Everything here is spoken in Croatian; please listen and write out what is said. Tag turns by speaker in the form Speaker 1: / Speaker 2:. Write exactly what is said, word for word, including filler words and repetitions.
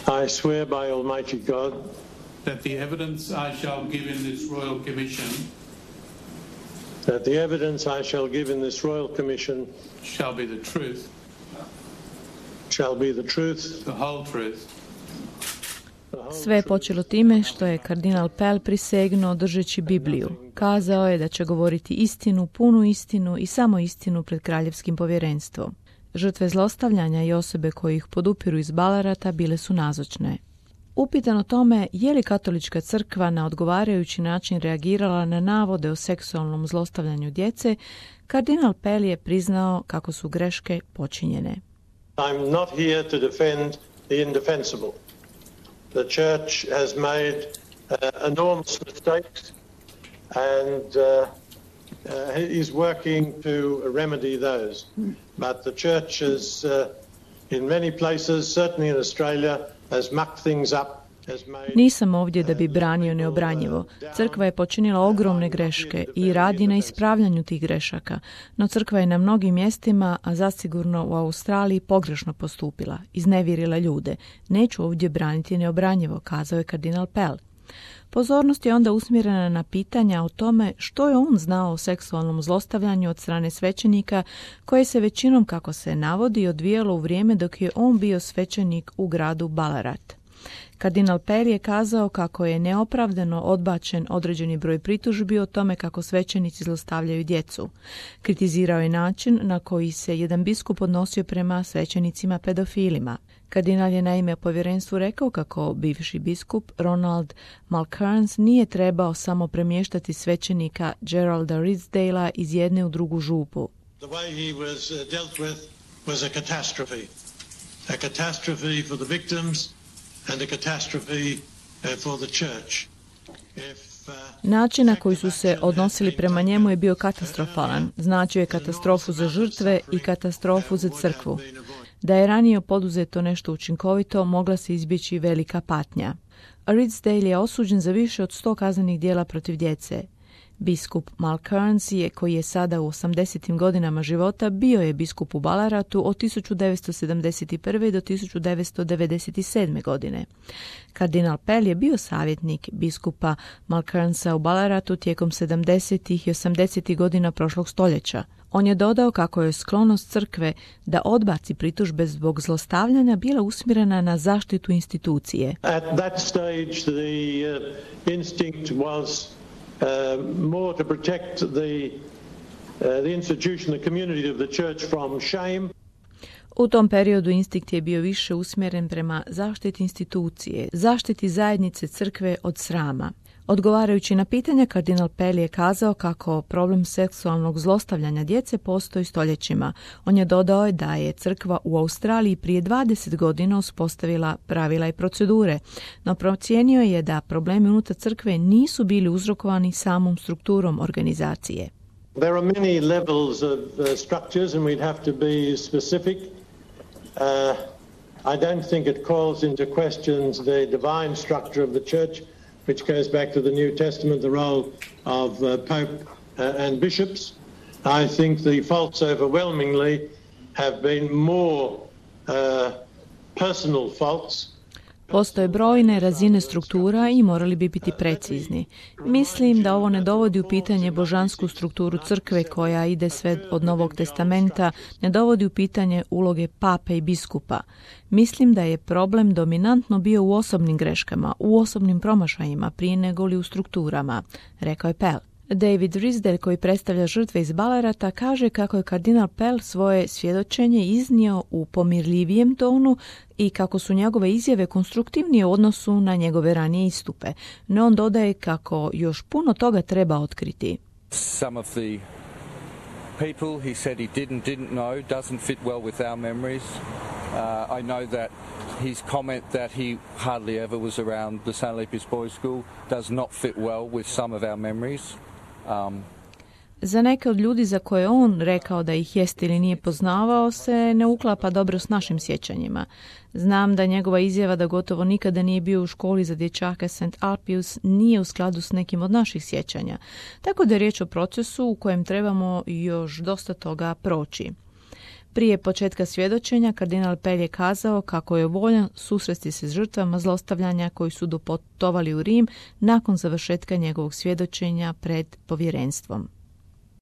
Speaker 1: I swear by Almighty God
Speaker 2: that the evidence I shall give in this royal commission
Speaker 1: that the evidence I shall give in this royal commission
Speaker 2: shall be the truth,
Speaker 1: shall be the truth,
Speaker 2: the whole truth.
Speaker 3: Sve je počelo time što je kardinal Pell prisegnuo držeći Bibliju. Kazao je da će govoriti istinu, punu istinu i samo istinu pred kraljevskim povjerenstvom. Žrtve zlostavljanja i osobe koje ih podupiru iz Ballarata bile su nazočne. Upitan o tome je li katolička crkva na odgovarajući način reagirala na navode o seksualnom zlostavljanju djece, kardinal Pell je priznao kako su greške počinjene.
Speaker 1: I'm not here to defend the indefensible. The church has made uh, enormous mistakes and uh, uh, is working to remedy those. But the church has, uh, in many places, certainly in Australia, has mucked things up.
Speaker 3: Nisam ovdje da bi branio neobranjivo. Crkva je počinila ogromne greške i radi na ispravljanju tih grešaka, no crkva je na mnogim mjestima, a zasigurno u Australiji, pogrešno postupila, iznevjerila ljude. Neću ovdje braniti neobranjivo, kazao je kardinal Pell. Pozornost je onda usmjerena na pitanja o tome što je on znao o seksualnom zlostavljanju od strane svećenika, koje se većinom, kako se navodi, odvijalo u vrijeme dok je on bio svećenik u gradu Ballarat. Kardinal Pell je kazao kako je neopravdano odbačen određeni broj pritužbi o tome kako svećenici zlostavljaju djecu. Kritizirao je način na koji se jedan biskup odnosio prema svećenicima pedofilima. Kardinal je naime povjerenstvu rekao kako bivši biskup Ronald Mulcairns nije trebao samo premještati svećenika Geralda Ridsdalea iz jedne u drugu župu.
Speaker 1: The way he was dealt with was a catastrophe. A catastrophe for the victims and a catastrophe for the church. If, uh,
Speaker 3: Način na koji su se odnosili prema njemu je bio katastrofalan. Značio je katastrofu za žrtve i katastrofu za crkvu. Da je ranije poduzeto nešto učinkovito, mogla se izbjeći velika patnja. Ridsdale je osuđen za više od sto kaznenih djela protiv djece. Biskup Mulcairns je, koji je sada u osamdesetim godinama života, bio je biskup u Ballaratu od tisuću devetsto sedamdeset prve do tisuću devetsto devedeset sedme godine. Kardinal Pell je bio savjetnik biskupa Mulcairnsa u Ballaratu tijekom sedamdesetih i osamdesetih godina prošlog stoljeća. On je dodao kako je sklonost crkve da odbaci pritužbe zbog zlostavljanja bila usmjerena na zaštitu institucije.
Speaker 1: At that stage the uh, instinct was Uh, more to protect the, uh, the institution, the community of the church from shame.
Speaker 3: U tom periodu instinkt je bio više usmjeren prema zaštiti institucije, zaštiti zajednice crkve od srama. Odgovarajući na pitanja, kardinal Pell je kazao kako problem seksualnog zlostavljanja djece postoji stoljećima. On je dodao da je crkva u Australiji prije dvadeset godina uspostavila pravila i procedure, no procijenio je da problemi unutar crkve nisu bili uzrokovani samom strukturom organizacije.
Speaker 1: There are many levels of uh, structures and we'd have to be specific. Uh, I don't think it calls into questions the divine structure of the church, which goes back to the New Testament, the role of uh, Pope uh, and bishops. I think the faults overwhelmingly have been more uh, personal faults.
Speaker 3: Postoje brojne razine struktura i morali bi biti precizni. Mislim da ovo ne dovodi u pitanje božansku strukturu crkve koja ide sve od Novog testamenta, ne dovodi u pitanje uloge pape i biskupa. Mislim da je problem dominantno bio u osobnim greškama, u osobnim promašajima prije nego li u strukturama, rekao je Pell. David Ridsdale, koji predstavlja žrtve iz Ballarata, kaže kako je kardinal Pell svoje svjedočenje iznio u pomirljivijem tonu i kako su njegove izjave konstruktivnije u odnosu na njegove ranije istupe. No on dodaje kako još puno toga treba otkriti.
Speaker 4: Some of the people he said he didn't didn't know doesn't fit well with our memories. Uh, I know that his comment that he hardly ever was around the Saint Lepus Boys School does not fit well with some of our memories. Um,
Speaker 3: Za neke od ljudi za koje on rekao da ih jest ili nije poznavao se ne uklapa dobro s našim sjećanjima. Znam da njegova izjava da gotovo nikada nije bio u školi za dječake Saint Alpius nije u skladu s nekim od naših sjećanja. Tako da je riječ o procesu u kojem trebamo još dosta toga proći. Prije početka svjedočenja kardinal Pell je kazao kako je voljan susresti se s žrtvama zlostavljanja koji su doputovali u Rim nakon završetka njegovog svjedočenja pred povjerenstvom.